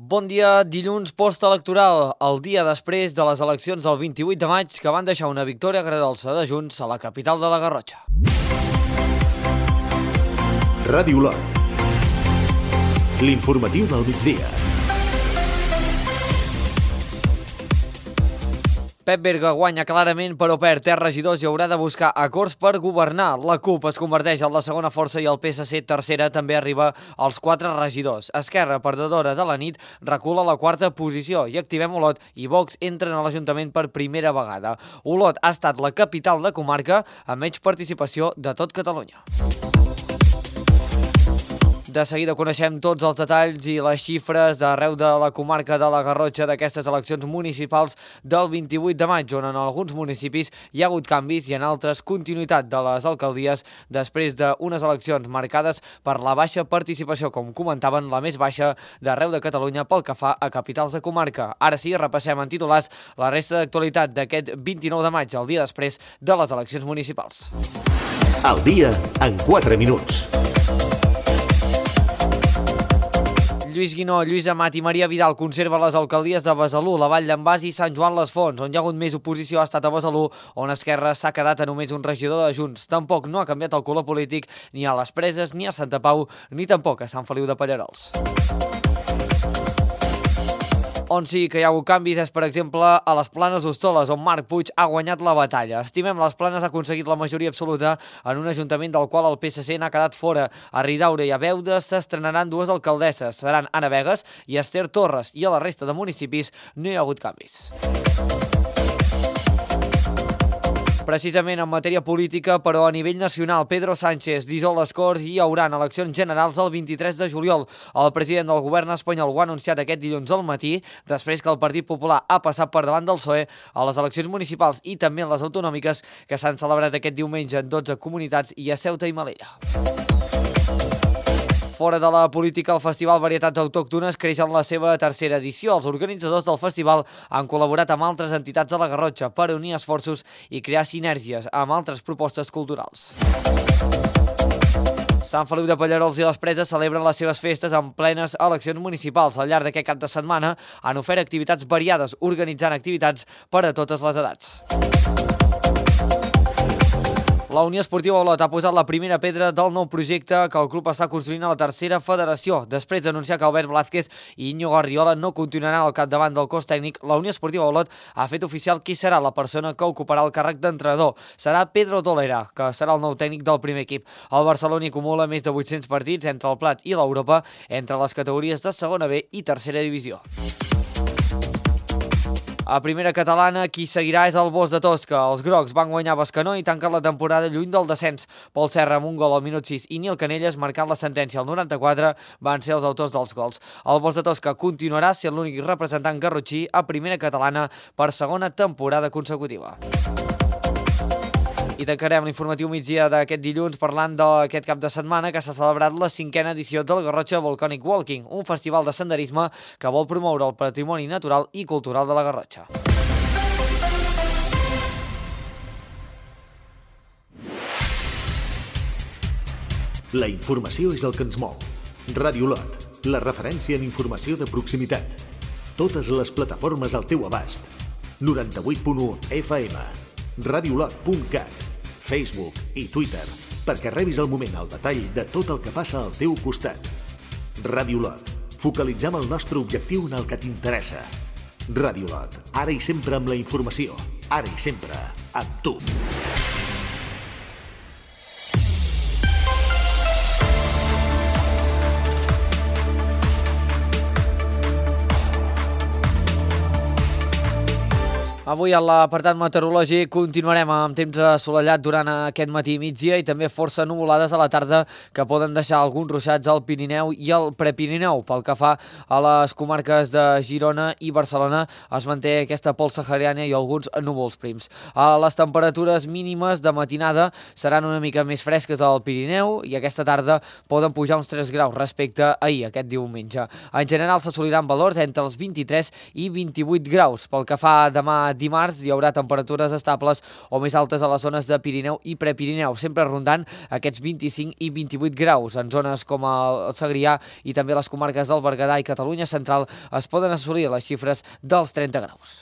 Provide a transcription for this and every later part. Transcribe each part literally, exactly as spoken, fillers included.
Bon dia, dilluns postelectoral, el dia després de les eleccions del vint-i-vuit de maig que van deixar una victòria agredolça de Junts a la capital de la Garrotxa. Ràdio Lot. L'informatiu del migdia. Pep Berga guanya clarament, però perd tres regidors i haurà de buscar acords per governar. La CUP es converteix en la segona força i el P S C tercera també arriba als quatre regidors. Esquerra, perdedora de la nit, recula a la quarta posició i Activem Olot i Vox entren a l'Ajuntament per primera vegada. Olot ha estat la capital de comarca amb menys participació de tot Catalunya. De seguida coneixem tots els detalls i les xifres d'arreu de la comarca de la Garrotxa d'aquestes eleccions municipals del vint-i-vuit de maig, on en alguns municipis hi ha hagut canvis i en altres continuïtat de les alcaldies després d'unes eleccions marcades per la baixa participació, com comentaven, la més baixa d'arreu de Catalunya pel que fa a capitals de comarca. Ara sí, repassem en titulars la resta d'actualitat d'aquest vint-i-nou de maig, el dia després de les eleccions municipals. El dia en quatre minuts. Lluís Guinó, Lluís Amat i Maria Vidal conserva les alcaldies de Besalú, la Vall d'en Bas i Sant Joan les Fonts. On hi ha hagut més oposició ha estat a Besalú, on Esquerra s'ha quedat a només un regidor de Junts. Tampoc no ha canviat el color polític ni a les Preses, ni a Santa Pau, ni tampoc a Sant Feliu de Pallerols. On sí que hi ha hagut canvis és, per exemple, a les Planes d'Hostoles, on Marc Puig ha guanyat la batalla. Estimem les Planes ha aconseguit la majoria absoluta en un ajuntament del qual el P S C n'ha quedat fora. A Ridaura i a Beuda s'estrenaran dues alcaldesses. Seran Anna Vegas i Esther Torres, i a la resta de municipis no hi ha hagut canvis. Precisament en matèria política, però a nivell nacional, Pedro Sánchez dissol les Corts i hi haurà eleccions generals el vint-i-tres de juliol. El president del govern espanyol ho ha anunciat aquest dilluns al matí, després que el Partit Popular ha passat per davant del P S O E a les eleccions municipals i també en les autonòmiques que s'han celebrat aquest diumenge en dotze comunitats i a Ceuta i Melilla. Fora de la política, el Festival Varietats Autòctones creix en la seva tercera edició. Els organitzadors del festival han col·laborat amb altres entitats de la Garrotxa per unir esforços i crear sinergies amb altres propostes culturals. Sant Feliu de Pallerols i les Preses celebren les seves festes en plenes eleccions municipals. Al llarg d'aquest cap de setmana han ofert activitats variades, organitzant activitats per a totes les edats. La Unió Esportiva Olot ha posat la primera pedra del nou projecte que el club està construint a la tercera federació. Després d'anunciar que Albert Blázquez i Íñigo Arriola no continuaran al capdavant del cos tècnic, la Unió Esportiva Olot ha fet oficial qui serà la persona que ocuparà el càrrec d'entrenador. Serà Pedro Tolera, que serà el nou tècnic del primer equip. El Barcelona acumula més de vuit-cents partits entre el Plat i l'Europa, entre les categories de segona B i tercera divisió. A primera catalana, qui seguirà és el Bos de Tosca. Els grocs van guanyar a Bescanó i tanquen la temporada lluny del descens. Pol Serra amb un gol al minut sis i Nil Canelles, marcant la sentència al noranta-quatre, van ser els autors dels gols. El Bos de Tosca continuarà sent l'únic representant garrotxí a primera catalana per segona temporada consecutiva. I tancarem l'informatiu migdia d'aquest dilluns parlant d'aquest cap de setmana que s'ha celebrat la cinquena edició del Garrotxa Volcanic Walking, un festival de senderisme que vol promoure el patrimoni natural i cultural de la Garrotxa. La informació és el que ens mou. Ràdio Lot, la referència en informació de proximitat. Totes les plataformes al teu abast. noranta-vuit punt u F M, radiolot punt cat, Facebook i Twitter, perquè rebis al moment el detall de tot el que passa al teu costat. Ràdio Lot, focalitzem el nostre objectiu en el que t'interessa. Ràdio Lot, ara i sempre amb la informació, ara i sempre amb tu. Avui a l'apartat meteorològic continuarem amb temps assolellat durant aquest matí i migdia i també força nuvolades a la tarda que poden deixar alguns ruixats al Pirineu i al Prepirineu. Pel que fa a les comarques de Girona i Barcelona es manté aquesta pols sahariana i alguns núvols prims. A les temperatures mínimes de matinada seran una mica més fresques al Pirineu i aquesta tarda poden pujar uns tres graus respecte a ahir, aquest diumenge. En general s'assoliran valors entre els vint-i-tres i vint-i-vuit graus. Pel que fa a demà dimarts hi haurà temperatures estables o més altes a les zones de Pirineu i Prepirineu, sempre rondant aquests vint-i-cinc i vint-i-vuit graus. En zones com el Segrià i també les comarques del Berguedà i Catalunya Central es poden assolir les xifres dels trenta graus.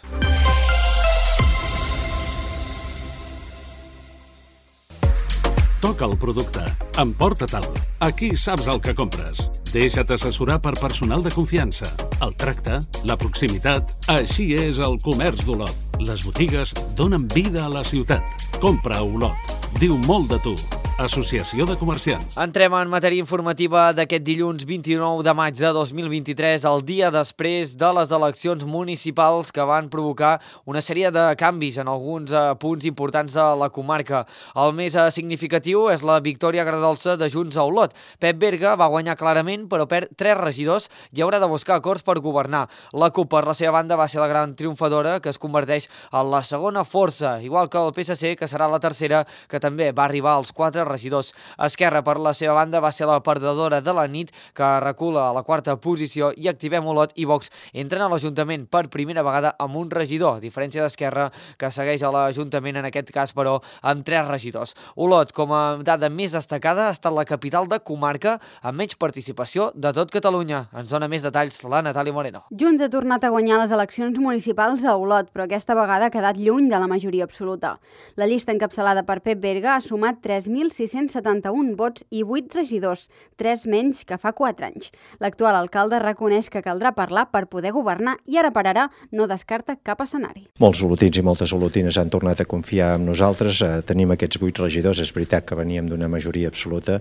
Toca el producte. Emporta-te'l. Aquí saps el que compres. Deixa't assessorar per personal de confiança. El tracte, la proximitat... Així és el comerç d'Olot. Les botigues donen vida a la ciutat. Compra a Olot. Diu molt de tu. Associació de Comerciants. Entrem en matèria informativa d'aquest dilluns vint-i-nou de maig de dos mil vint-i-tres, el dia després de les eleccions municipals que van provocar una sèrie de canvis en alguns eh, punts importants de la comarca. El més eh, significatiu és la victòria agredolça de Junts a Olot. Pep Berga va guanyar clarament, però perd tres regidors i haurà de buscar acords per governar. La CUP, per la seva banda, va ser la gran triomfadora, que es converteix en la segona força, igual que el P S C, que serà la tercera, que també va arribar als quatre regidors. Esquerra, per la seva banda, va ser la perdedora de la nit, que recula a la quarta posició, i Activem Olot i Vox entren a l'Ajuntament per primera vegada amb un regidor, a diferència d'Esquerra, que segueix a l'Ajuntament, en aquest cas, però, amb tres regidors. Olot, com a dada més destacada, ha estat la capital de comarca amb menys participació de tot Catalunya. Ens dona més detalls la Natàlia Moreno. Junts ha tornat a guanyar les eleccions municipals a Olot, però aquesta vegada ha quedat lluny de la majoria absoluta. La llista encapçalada per Pep Berga ha sumat tres mil sis-cents setanta-un vots i vuit regidors, tres menys que fa quatre anys. L'actual alcalde reconeix que caldrà parlar per poder governar i ara per ara no descarta cap escenari. Molts olotins i moltes olotines han tornat a confiar en nosaltres. Eh, tenim aquests vuit regidors, és veritat que veníem d'una majoria absoluta,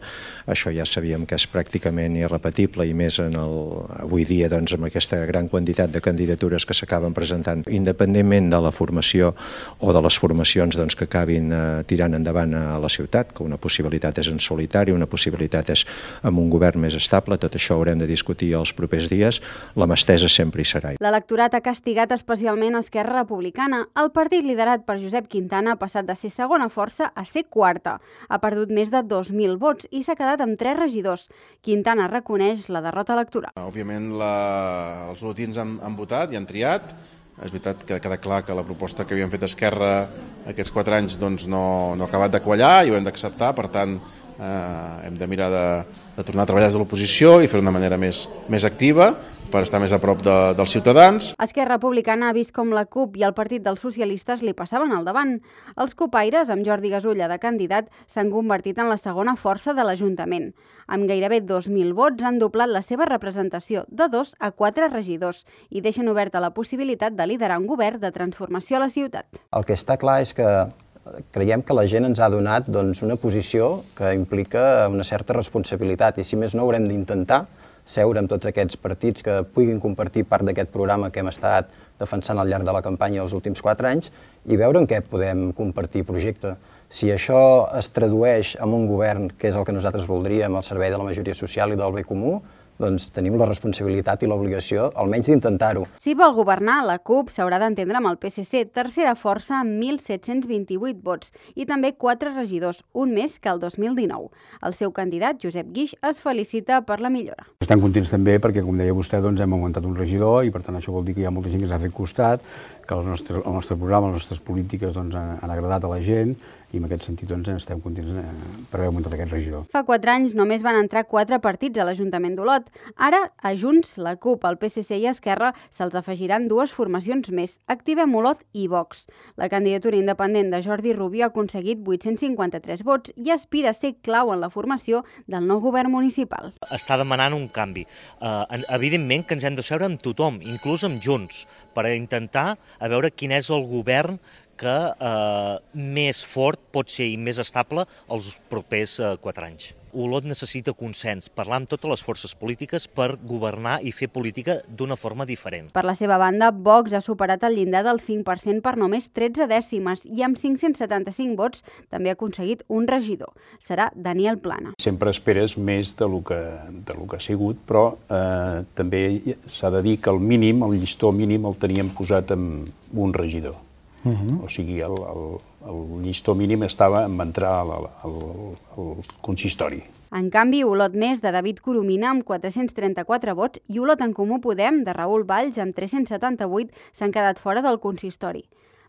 això ja sabíem que és pràcticament irrepetible i més en el, avui dia doncs, amb aquesta gran quantitat de candidatures que s'acaben presentant, independentment de la formació o de les formacions doncs, que acabin eh, tirant endavant a la ciutat, que una possibilitat és en solitari, una possibilitat és amb un govern més estable, tot això haurem de discutir els propers dies, la mà estesa sempre hi serà. L'electorat ha castigat especialment Esquerra Republicana. El partit liderat per Josep Quintana ha passat de ser segona força a ser quarta. Ha perdut més de dos mil vots i s'ha quedat amb tres regidors. Quintana reconeix la derrota electoral. Òbviament la... els olotins han, han votat i han triat. És veritat que queda clar que la proposta que havíem fet Esquerra aquests quatre anys doncs, no, no ha acabat de quallar i ho hem d'acceptar, per tant eh, hem de mirar de, de tornar a treballar des de l'oposició i fer-ho d'una manera més, més activa per estar més a prop de, dels ciutadans. Esquerra Republicana ha vist com la CUP i el Partit dels Socialistes li passaven al davant. Els copaires, amb Jordi Gasulla de candidat, s'han convertit en la segona força de l'Ajuntament. Amb gairebé dos mil vots han doblat la seva representació de dos a quatre regidors i deixen oberta la possibilitat de liderar un govern de transformació a la ciutat. El que està clar és que creiem que la gent ens ha donat doncs, una posició que implica una certa responsabilitat i si més no haurem d'intentar seure amb tots aquests partits que puguin compartir part d'aquest programa que hem estat defensant al llarg de la campanya els últims quatre anys i veure en què podem compartir projecte. Si això es tradueix en un govern, que és el que nosaltres voldríem, al servei de la majoria social i del bé comú, doncs tenim la responsabilitat i l'obligació, almenys d'intentar-ho. Si vol governar, la CUP s'haurà d'entendre amb el P S C, tercera força amb mil set-cents vint-i-vuit vots i també quatre regidors, un més que el dos mil dinou. El seu candidat, Josep Guix, es felicita per la millora. Estem contents també perquè, com deia vostè, doncs hem augmentat un regidor i per tant això vol dir que hi ha molta gent que s'ha fet costat, que el nostre, el nostre programa, les nostres polítiques doncs, han, han agradat a la gent i en aquest sentit doncs, estem contents per haver augmentat aquest regidor. Fa quatre anys només van entrar quatre partits a l'Ajuntament d'Olot. Ara, a Junts, la CUP, el P S C i Esquerra se'ls afegiran dues formacions més, Activem Olot i Vox. La candidatura independent de Jordi Rubio ha aconseguit vuit-cents cinquanta-tres vots i aspira a ser clau en la formació del nou govern municipal. Està demanant un canvi. Uh, evidentment que ens hem de seure amb tothom, inclús amb Junts, per intentar a veure quin és el govern que eh, més fort pot ser i més estable els propers eh, quatre anys. Olot necessita consens, parlar amb totes les forces polítiques per governar i fer política d'una forma diferent. Per la seva banda, Vox ha superat el llindar del cinc per cent per només tretze dècimes i amb cinc-cents setanta-cinc vots també ha aconseguit un regidor. Serà Daniel Plana. Sempre esperes més de lo que, de lo que ha sigut, però eh, també s'ha de dir que el mínim, el llistó mínim, el teníem posat amb un regidor. Uh-huh. O sigui, el, el, el llistó mínim estava en entrar al, al, al consistori. En canvi, Olot Més, de David Coromina, amb quatre-cents trenta-quatre vots, i Olot en Comú Podem, de Raül Valls, amb tres-cents setanta-vuit, s'han quedat fora del consistori.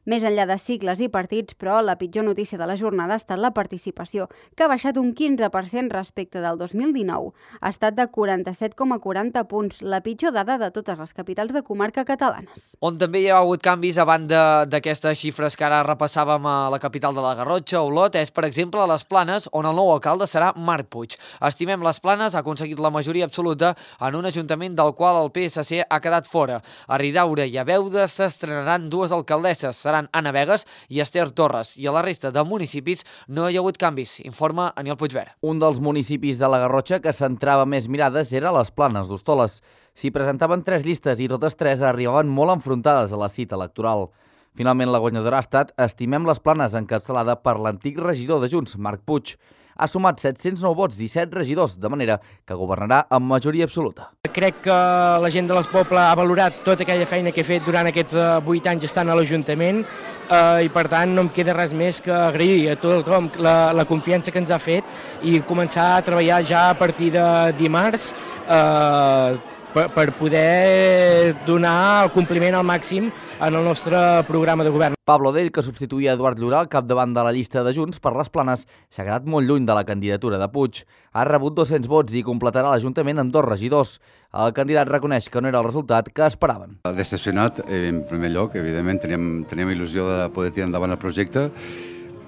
Més enllà de sigles i partits, però, la pitjor notícia de la jornada ha estat la participació, que ha baixat un quinze per cent respecte del dos mil dinou. Ha estat de quaranta-set coma quaranta punts, la pitjor dada de totes les capitals de comarca catalanes. On també hi ha hagut canvis a banda d'aquestes xifres que ara repassàvem a la capital de la Garrotxa, Olot, és, per exemple, a les Planes, on el nou alcalde serà Marc Puig. Estimem les Planes ha aconseguit la majoria absoluta en un ajuntament del qual el P S C ha quedat fora. A Ridaura i a Beuda s'estrenaran dues alcaldesses, seran Anna Vegas i Esther Torres, i a la resta de municipis no hi ha hagut canvis, informa Aniol Puigvert. Un dels municipis de la Garrotxa que centrava més mirades era les Planes d'Hostoles. S'hi presentaven tres llistes i totes tres arribaven molt enfrontades a la cita electoral. Finalment, la guanyadora ha estat Estimem les Planes, encapçalada per l'antic regidor de Junts, Marc Puig. Ha sumat set-cents nou vots i set regidors, de manera que governarà amb majoria absoluta. Crec que la gent de les Poble ha valorat tota aquella feina que he fet durant aquests vuit anys estant a l'Ajuntament eh, i, per tant, no em queda res més que agrair a tothom la, la confiança que ens ha fet i començar a treballar ja a partir de dimarts eh, per, per poder donar el compliment al màxim en el nostre programa de govern. Pablo Dell, que substituïa Eduard Llorà al capdavant de la llista de Junts per les Planes, s'ha quedat molt lluny de la candidatura de Puig. Ha rebut dos-cents vots i completarà l'Ajuntament amb dos regidors. El candidat reconeix que no era el resultat que esperaven. Decepcionat, en primer lloc, evidentment, teníem, teníem il·lusió de poder tirar endavant el projecte.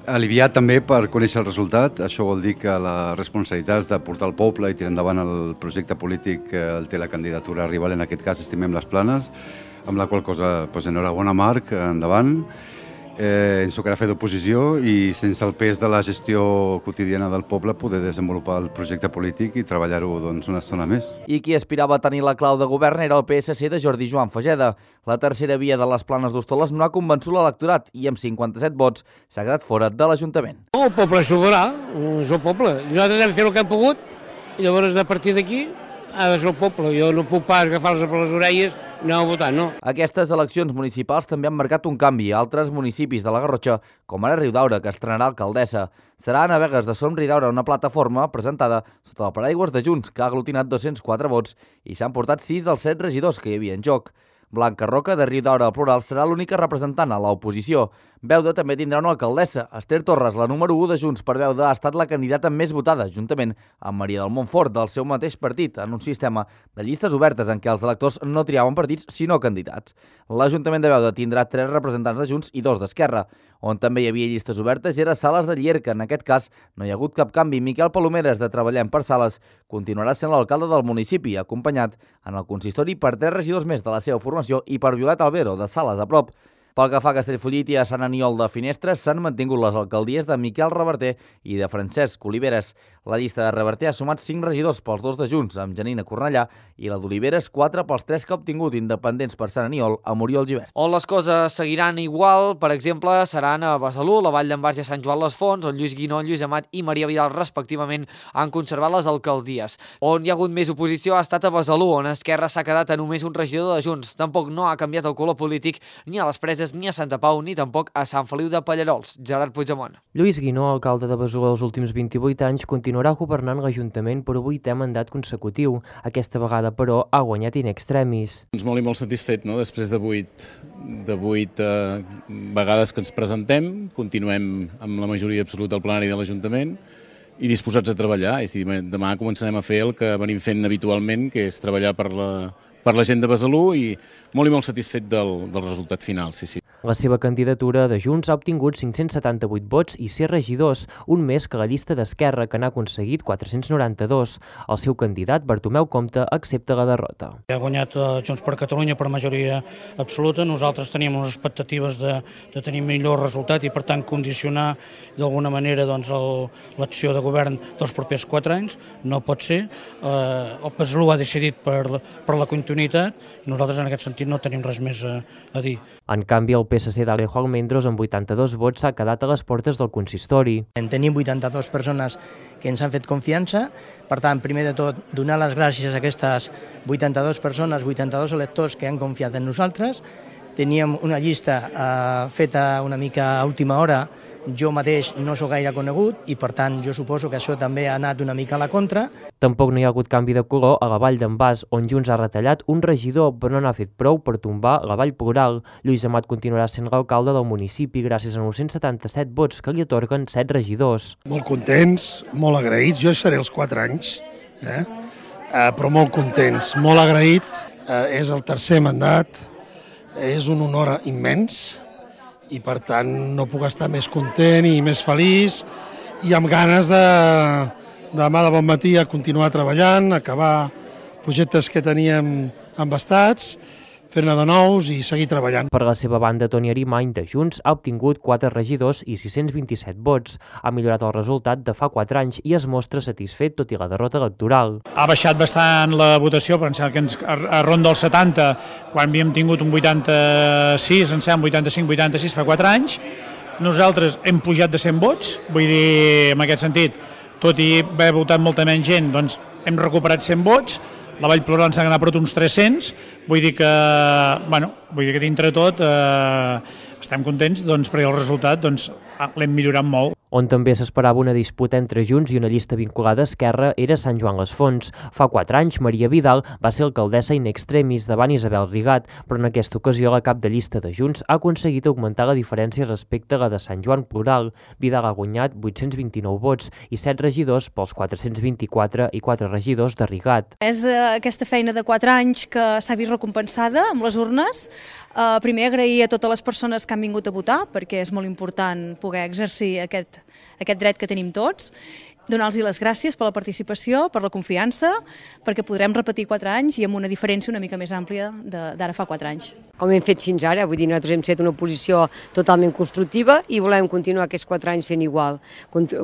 Aliviat també per conèixer el resultat. Això vol dir que la responsabilitat és de portar el poble i tirar endavant el projecte polític que el té la candidatura rival, en aquest cas Estimem les Planes, amb la qual cosa, doncs, enhorabona Marc, endavant. Eh, ens tocarà fer d'oposició i sense el pes de la gestió quotidiana del poble poder desenvolupar el projecte polític i treballar-ho, doncs, una estona més. I qui aspirava a tenir la clau de govern era el P S C de Jordi Joan Fageda. La tercera via de les Planes d'Hostoles no ha convençut l'electorat i amb cinquanta-set vots s'ha quedat fora de l'Ajuntament. El poble sobrarà, és el poble. Nosaltres hem fet el que hem pogut i llavors a partir d'aquí ha de ser el poble. Jo no puc pas agafar-los per les orelles i anar a votar, no. Aquestes eleccions municipals també han marcat un canvi a altres municipis de la Garrotxa, com ara Riudaura, que estrenarà alcaldessa. Serà Anna Vegas de Som Riudaura, una plataforma presentada sota el paraigües de Junts, que ha aglutinat dos-cents quatre vots i s'han portat sis dels set regidors que hi havia en joc. Blanca Roca, de Riudaura al plural, serà l'única representant a l'oposició. Beuda també tindrà una alcaldessa. Esther Torres, la número u de Junts per Beuda, ha estat la candidata més votada, juntament amb Maria del Montfort, del seu mateix partit, en un sistema de llistes obertes en què els electors no triaven partits, sinó candidats. L'Ajuntament de Beuda tindrà tres representants de Junts i dos d'Esquerra. On també hi havia llistes obertes era Sales de Llierca. En aquest cas no hi ha hagut cap canvi. Miquel Palomeres, de Treballem per Sales, continuarà sent l'alcalde del municipi, acompanyat en el consistori per tres regidors més de la seva formació i per Violet Albero, de Sales a prop. Pel que fa a Castellfollit i a Sant Aniol de Finestres, s'han mantingut les alcaldies de Miquel Reverter i de Francesc Oliveres. La llista de Reverter ha sumat cinc regidors pels dos de Junts, amb Janina Cornellà, i la d'Oliveres quatre pels tres que ha obtingut independents per Sant Aniol, amb Oriol Givert. On les coses seguiran igual, per exemple, seran a Besalú, la Vall d'en Bas i a Sant Joan les Fonts, on Lluís Guinó, Lluís Amat i Maria Vidal, respectivament, han conservat les alcaldies. On hi ha hagut més oposició ha estat a Besalú, on Esquerra s'ha quedat a només un regidor de Junts. Tampoc no ha canviat el color polític ni a les Preses, ni a Santa Pau, ni tampoc a Sant Feliu de Pallarols. Gerard Puigdemont. Lluís Guinó, alcalde de Besalú els últims vint-i-vuit anys, continuarà governant l'Ajuntament per vuitè mandat consecutiu. Aquesta vegada, però, ha guanyat in extremis. Doncs molt i molt satisfet, no? Després de vuit, de vuit eh, vegades que ens presentem, continuem amb la majoria absoluta del plenari de l'Ajuntament i disposats a treballar. És a dir, demà començarem a fer el que venim fent habitualment, que és treballar per la, per la gent de Besalú, i molt i molt satisfet del, del resultat final, sí, sí. La seva candidatura de Junts ha obtingut cinc-cents setanta-vuit vots i sis regidors, un més que la llista d'Esquerra, que n'ha aconseguit quatre-cents noranta-dos. El seu candidat, Bartomeu Compte, accepta la derrota. Ha guanyat Junts per Catalunya per majoria absoluta. Nosaltres teníem unes expectatives de, de tenir millor resultat i, per tant, condicionar d'alguna manera doncs, l'acció de govern dels propers quatre anys. No pot ser. Eh, el Besalú ha decidit per, per la continuïtat. Nosaltres, en aquest sentit, no tenim res més a, a dir. En canvi, el P S C d'Alejo Almendros, amb vuitanta-dos vots, s'ha quedat a les portes del consistori. En tenim vuitanta-dues persones que ens han fet confiança. Per tant, primer de tot, donar les gràcies a aquestes vuitanta-dues persones, vuitanta-dos electors que han confiat en nosaltres. Teníem una llista eh, feta una mica a última hora jo mateix no sóc gaire conegut i, per tant, jo suposo que això també ha anat una mica a la contra. Tampoc no hi ha hagut canvi de color a la Vall d'en Bas, on Junts ha retallat un regidor, però no n'ha fet prou per tombar la Vall Plural. Lluís Amat continuarà sent l'alcalde del municipi gràcies a nou-cents setanta-set vots que li atorguen set regidors. Molt contents, molt agraïts. Jo seré els quatre anys, eh? Uh, però molt contents, molt agraït. Uh, és el tercer mandat, és un honor immens i per tant no puc estar més content i més feliç i amb ganes de demà de bon matí a continuar treballant, acabar projectes que teníem embastats, fer-ne de nous i seguir treballant. Per la seva banda, Toni Arimany, de Junts, ha obtingut quatre regidors i sis-cents vint-i-set vots. Ha millorat el resultat de fa quatre anys i es mostra satisfet tot i la derrota electoral. Ha baixat bastant la votació, però em sembla que ens arronda el setanta, quan havíem tingut un vuitanta-sis, em sembla vuitanta-cinc vuitanta-sis fa quatre anys. Nosaltres hem pujat de cent vots, vull dir, en aquest sentit, tot i haver votat molta menys gent, doncs hem recuperat cent vots. La Vall Plural ens ha anat per uns tres-cents, vull dir que, bueno, vull dir que dintre tot eh, estem contents doncs, perquè el resultat doncs, l'hem millorat molt. On també s'esperava una disputa entre Junts i una llista vinculada a Esquerra era Sant Joan les Fonts. Fa quatre anys, Maria Vidal va ser alcaldessa in extremis davant Isabel Rigat, però en aquesta ocasió la cap de llista de Junts ha aconseguit augmentar la diferència respecte a la de Sant Joan Plural. Vidal ha guanyat vuit-cents vint-i-nou vots i set regidors pels quatre-cents vint-i-quatre i quatre regidors de Rigat. És aquesta feina de quatre anys que s'ha vist recompensada amb les urnes. Uh, primer agrair a totes les persones que han vingut a votar, perquè és molt important poder exercir aquest, aquest dret que tenim tots, donar-los les gràcies per la participació, per la confiança, perquè podrem repetir quatre anys i amb una diferència una mica més àmplia d'ara fa quatre anys. Com hem fet fins ara, vull dir, nosaltres hem fet una posició totalment constructiva i volem continuar aquests quatre anys fent igual,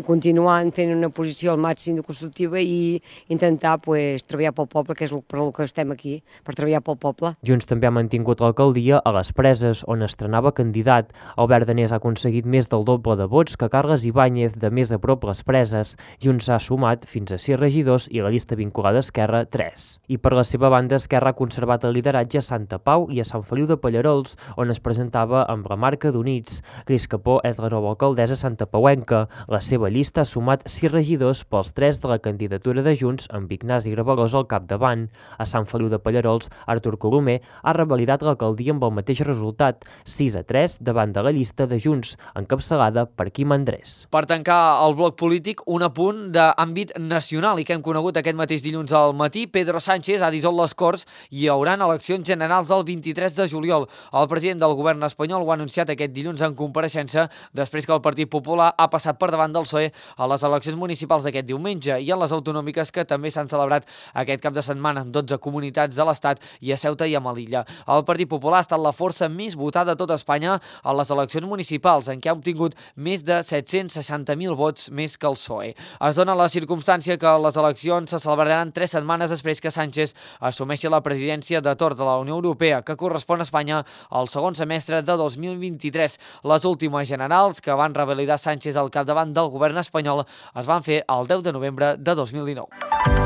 continuant fent una posició al màxim de constructiva i intentar pues, treballar pel poble, que és per el que estem aquí, per treballar pel poble. Junts també ha mantingut l'alcaldia a les Preses, on estrenava candidat. Albert Danés ha aconseguit més del doble de vots que Carles Ibáñez, de més a prop les Preses. Junts ha sumat fins a sis regidors i la llista vinculada a Esquerra, tres. I per la seva banda, Esquerra ha conservat el lideratge a Santa Pau i a Sant Feliu de Pallarols, on es presentava amb la marca d'Units. Cris Capó és la nova alcaldessa santapauenca. La seva llista ha sumat sis regidors pels tres de la candidatura de Junts, amb Ignasi Gravalós al capdavant. A Sant Feliu de Pallarols, Artur Colomer ha revalidat l'alcaldia amb el mateix resultat, sis a tres davant de la llista de Junts, encapçalada per Quim Andrés. Per tancar el bloc polític, un apunt d'àmbit nacional i que hem conegut aquest mateix dilluns al matí. Pedro Sánchez ha dissolt les Corts i hi haurà eleccions generals el vint-i-tres de juliol. El president del govern espanyol ho ha anunciat aquest dilluns en compareixença després que el Partit Popular ha passat per davant del P S O E a les eleccions municipals d'aquest diumenge i a les autonòmiques que també s'han celebrat aquest cap de setmana en dotze comunitats de l'Estat i a Ceuta i a Melilla. El Partit Popular ha estat la força més votada de tot Espanya a les eleccions municipals, en què ha obtingut més de set-cents seixanta mil vots més que el P S O E. Es dona la circumstància que les eleccions se celebraran tres setmanes després que Sánchez assumeixi la presidència de torn de la Unió Europea, que correspon a Espanya al segon semestre de dos mil vint-i-tres. Les últimes generals, que van revalidar Sánchez al capdavant del govern espanyol, es van fer el deu de novembre de dos mil dinou.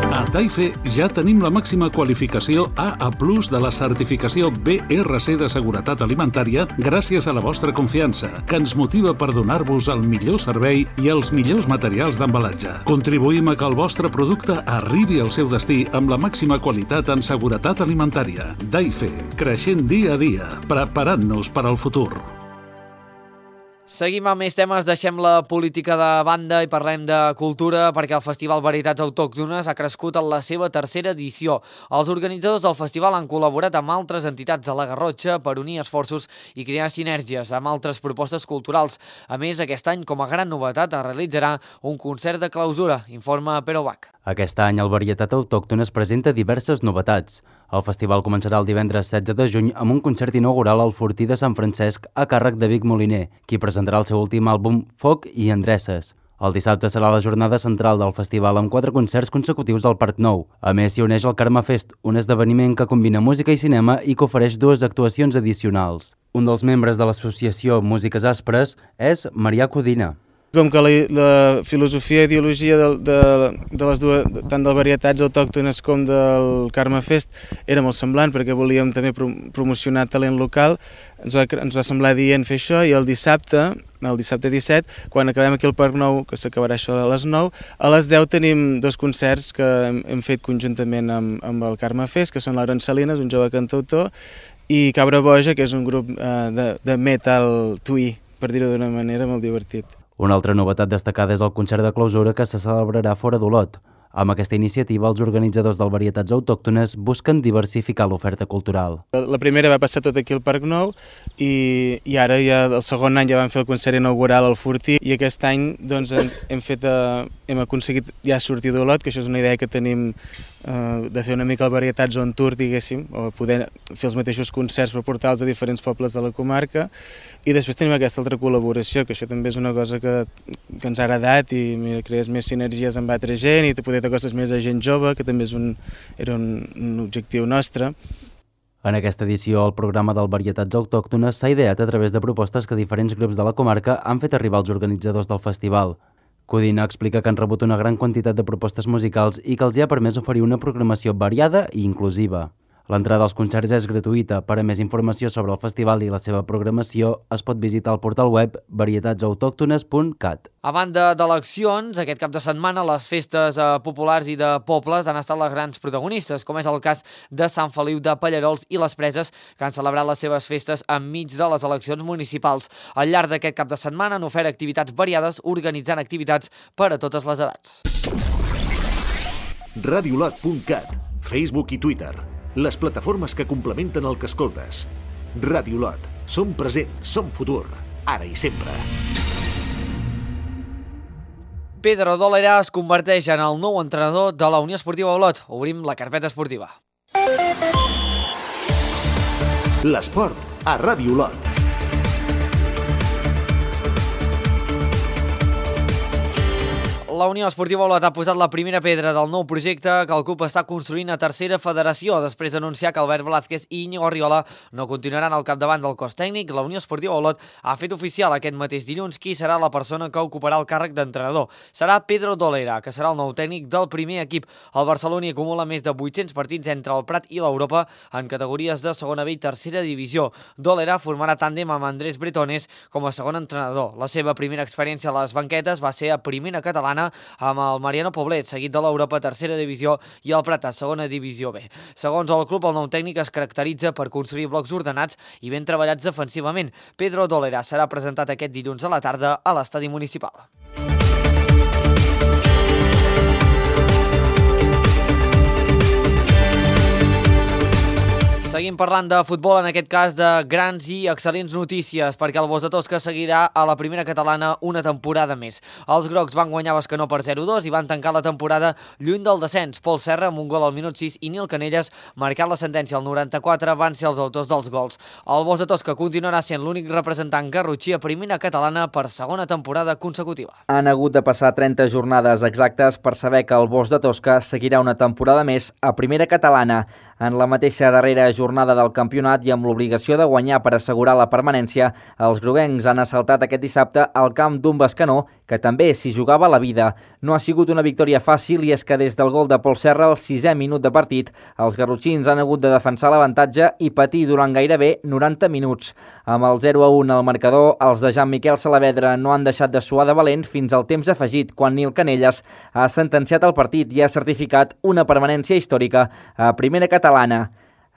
A Taife ja tenim la màxima qualificació A A plus de la certificació B R C de seguretat alimentària gràcies a la vostra confiança, que ens motiva per donar-vos el millor servei i els millors materials d'embalatge. Contribuïm a que el vostre producte arribi al seu destí amb la màxima qualitat en seguretat alimentària. Taife, creixent dia a dia, preparant-nos per al futur. Seguim amb més temes, deixem la política de banda i parlem de cultura perquè el Festival Varietats Autòctones ha crescut en la seva tercera edició. Els organitzadors del festival han col·laborat amb altres entitats de la Garrotxa per unir esforços i crear sinergies amb altres propostes culturals. A més, aquest any, com a gran novetat, es realitzarà un concert de clausura, informa Pero Bach. Aquest any el Varietat Autòctones presenta diverses novetats. El festival començarà el divendres setze de juny amb un concert inaugural al Fortí de Sant Francesc a càrrec de Vic Moliner, qui presentarà el seu últim àlbum Foc i Endreces. El dissabte serà la jornada central del festival amb quatre concerts consecutius al Parc Nou. A més, s'hi uneix el Carme Fest, un esdeveniment que combina música i cinema i que ofereix dues actuacions addicionals. Un dels membres de l'associació Músiques Aspres és Marià Codina. Com que la, la filosofia i ideologia de, de, de les dues, tant de varietats autòctones com del Carme Fest era molt semblant, perquè volíem també promocionar talent local, ens va, ens va semblar dient fer això, i el dissabte, el dissabte disset, quan acabem aquí al Parc Nou, que s'acabarà això a les nou, a les deu tenim dos concerts que hem, hem fet conjuntament amb, amb el Carme Fest, que són l'Aaron Salinas, un jove cantautor, i Cabra Boja, que és un grup eh, de, de metal twee, per dir-ho d'una manera molt divertit. Una altra novetat destacada és el concert de clausura que se celebrarà fora d'Olot. Amb aquesta iniciativa, els organitzadors del Varietats Autòctones busquen diversificar l'oferta cultural. La primera va passar tot aquí al Parc Nou i, i ara ja el segon any ja vam fer el concert inaugural al Fortí i aquest any doncs, hem, hem, fet, uh, hem aconseguit ja sortir d'Olot, que això és una idea que tenim uh, de fer una mica el Varietats on tour, diguéssim, o poder fer els mateixos concerts per portar-los a diferents pobles de la comarca. I després tenim aquesta altra col·laboració, que això també és una cosa que, que ens ha agradat i mira, crees més sinergies amb altra gent i poder tocar coses més a gent jove, que també és un, era un, un objectiu nostre. En aquesta edició, el programa del Varietats Autòctones s'ha ideat a través de propostes que diferents grups de la comarca han fet arribar als organitzadors del festival. Codina explica que han rebut una gran quantitat de propostes musicals i que els hi ha permès oferir una programació variada i inclusiva. L'entrada als concerts és gratuïta. Per a més informació sobre el festival i la seva programació es pot visitar el portal web varietats autòctones punt cat. A banda d'eleccions, aquest cap de setmana les festes eh, populars i de pobles han estat les grans protagonistes, com és el cas de Sant Feliu de Pallarols i les Preses, que han celebrat les seves festes enmig de les eleccions municipals. Al llarg d'aquest cap de setmana han ofert activitats variades, organitzant activitats per a totes les edats. radiolot punt cat, Facebook i Twitter. Les plataformes que complementen el que escoltes. Radiolot. Som present, som futur, ara i sempre. Pedro Dólera es converteix en el nou entrenador de la Unió Esportiva Olot. Obrim la carpeta esportiva. L'esport a Radiolot. La Unió Esportiva Olot ha posat la primera pedra del nou projecte que el club està construint a tercera federació. Després d'anunciar que Albert Blázquez i Íñigo Arriola no continuaran al capdavant del cos tècnic, la Unió Esportiva Olot ha fet oficial aquest mateix dilluns qui serà la persona que ocuparà el càrrec d'entrenador. Serà Pedro Dólera, que serà el nou tècnic del primer equip. El barceloní acumula més de vuit-cents partits entre el Prat i l'Europa en categories de segona B i tercera divisió. Dólera formarà tàndem amb Andrés Bretones com a segon entrenador. La seva primera experiència a les banquetes va ser a primera catalana amb el Mariano Poblet, seguit de l'Europa tercera divisió i el Prat a segona divisió B. Segons el club, el nou tècnic es caracteritza per construir blocs ordenats i ben treballats defensivament. Pedro Dólera serà presentat aquest dilluns a la tarda a l'estadi municipal. Seguim parlant de futbol, en aquest cas de grans i excel·lents notícies, perquè el Bos de Tosca seguirà a la primera catalana una temporada més. Els grocs van guanyar Bescanó per zero dos i van tancar la temporada lluny del descens. Pol Serra amb un gol al minut sis i Nil Canelles, marcant la sentència al noranta-quatre, van ser els autors dels gols. El Bos de Tosca continuarà sent l'únic representant garrotxí a primera catalana per segona temporada consecutiva. Han hagut de passar trenta jornades exactes per saber que el Bos de Tosca seguirà una temporada més a primera catalana. En la mateixa darrera jornada del campionat i amb l'obligació de guanyar per assegurar la permanència, els groguencs han assaltat aquest dissabte al camp d'un Bescanó que també s'hi jugava la vida. No ha sigut una victòria fàcil i és que des del gol de Pol Serra al sisè minut de partit, els garrotxins han hagut de defensar l'avantatge i patir durant gairebé noranta minuts. Amb el zero a un al marcador, els de Jean-Miquel Salavedra no han deixat de suar de valent fins al temps afegit, quan Nil Canelles ha sentenciat el partit i ha certificat una permanència històrica a primera catalana.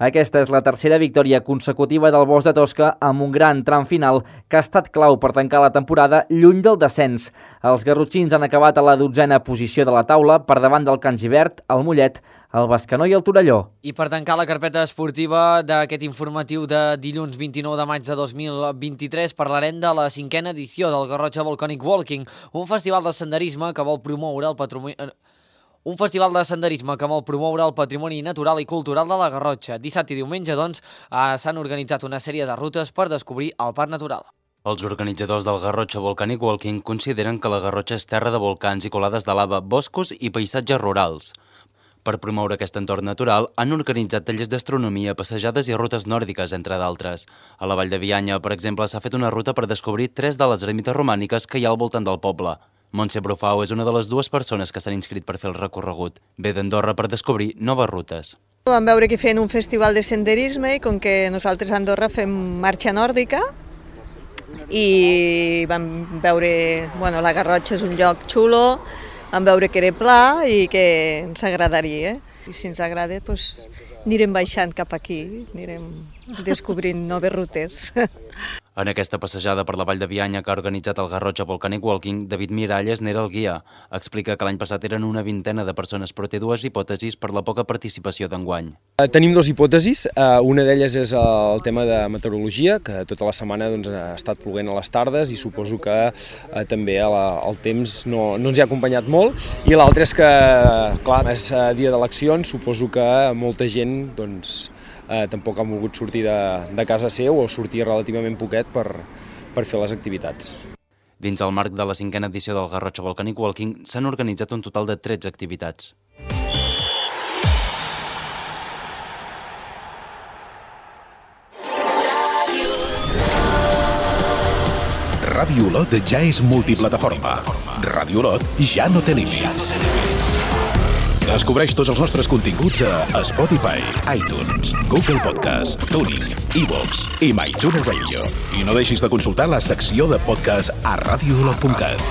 Aquesta és la tercera victòria consecutiva del Bos de Tosca amb un gran tram final que ha estat clau per tancar la temporada lluny del descens. Els garrotxins han acabat a la dotzena posició de la taula per davant del Can Givert, el Mollet, el Bescanó i el Torelló. I per tancar la carpeta esportiva d'aquest informatiu de dilluns vint-i-nou de maig de dos mil vint-i-tres parlarem de la cinquena edició del Garrotxa Volcanic Walking, un festival de senderisme que vol promoure el patrimoni... Un festival de senderisme que vol promoure el patrimoni natural i cultural de la Garrotxa. Dissabte i diumenge, doncs, s'han organitzat una sèrie de rutes per descobrir el parc natural. Els organitzadors del Garrotxa Volcanic Walking consideren que la Garrotxa és terra de volcans i colades de lava, boscos i paisatges rurals. Per promoure aquest entorn natural, han organitzat tallers d'astronomia, passejades i rutes nòrdiques, entre d'altres. A la Vall de Bianya, per exemple, s'ha fet una ruta per descobrir tres de les ermites romàniques que hi ha al voltant del poble. Montse Brufau és una de les dues persones que s'han inscrit per fer el recorregut. Ve d'Andorra per descobrir noves rutes. Vam veure que feien un festival de senderisme i com que nosaltres a Andorra fem marxa nòrdica i vam veure, bueno, la Garrotxa és un lloc xulo, vam veure que era pla i que ens agradaria. I si ens agrada, doncs, anirem baixant cap aquí, anirem descobrint noves rutes. En aquesta passejada per la Vall de Bianya que ha organitzat el Garrotxa Volcanic Walking, David Miralles n'era el guia. Explica que l'any passat eren una vintena de persones, però té dues hipòtesis per la poca participació d'enguany. Tenim dues hipòtesis. Una d'elles és el tema de meteorologia, que tota la setmana doncs, ha estat ploguent a les tardes i suposo que eh, també el temps no, no ens hi ha acompanyat molt. I l'altra és que, clar, és dia d'eleccions, suposo que molta gent doncs, Eh, tampoc han volgut sortir de, de casa seu o sortir relativament poquet per, per fer les activitats. Dins el marc de la cinquena edició del Garrotxa Volcanic Walking s'han organitzat un total de tretze activitats. Ràdio Olot ja és multiplataforma. Ràdio Olot ja no té límits. Descobreix tots els nostres continguts a Spotify, iTunes, Google Podcast, TuneIn, iVoox i MyTuner Radio. I no deixis de consultar la secció de podcast a radio olot punt cat.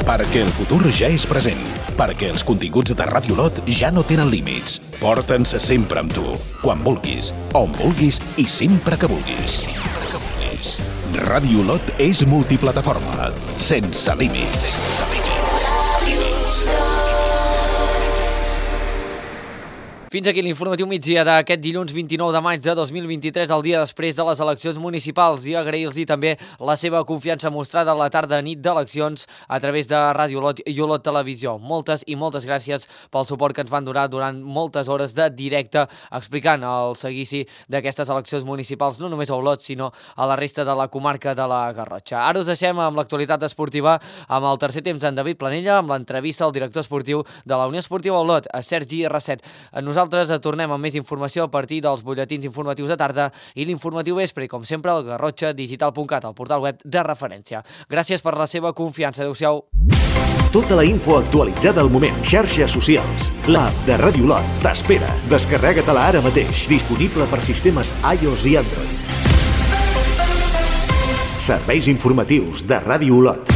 Perquè el futur ja és present. Perquè els continguts de Ràdio Olot ja no tenen límits. Porta'ns sempre amb tu, quan vulguis, on vulguis i sempre que vulguis. Ràdio Olot és multiplataforma, sense límits. Fins aquí l'informatiu migdia d'aquest dilluns vint-i-nou de maig de dos mil vint-i-tres, el dia després de les eleccions municipals, i agrair-los també la seva confiança mostrada a la tarda nit d'eleccions a través de Ràdio Olot i Olot Televisió. Moltes i moltes gràcies pel suport que ens van donar durant moltes hores de directe explicant el seguici d'aquestes eleccions municipals, no només a Olot, sinó a la resta de la comarca de la Garrotxa. Ara us deixem amb l'actualitat esportiva, amb el tercer temps d'en David Planella, amb l'entrevista al director esportiu de la Unió Esportiva Olot, a Sergi Rasset. Nosaltres Nosaltres tornem amb més informació a partir dels butlletins informatius de tarda i l'informatiu vespre, i com sempre, al garrotxa digital punt cat, el portal web de referència. Gràcies per la seva confiança. Adéu-siau. Tota la info actualitzada al moment. Xarxes socials. L'app de Ràdio Olot t'espera. Descarrega-te-la ara mateix. Disponible per sistemes iOS i Android. Serveis informatius de Ràdio Olot.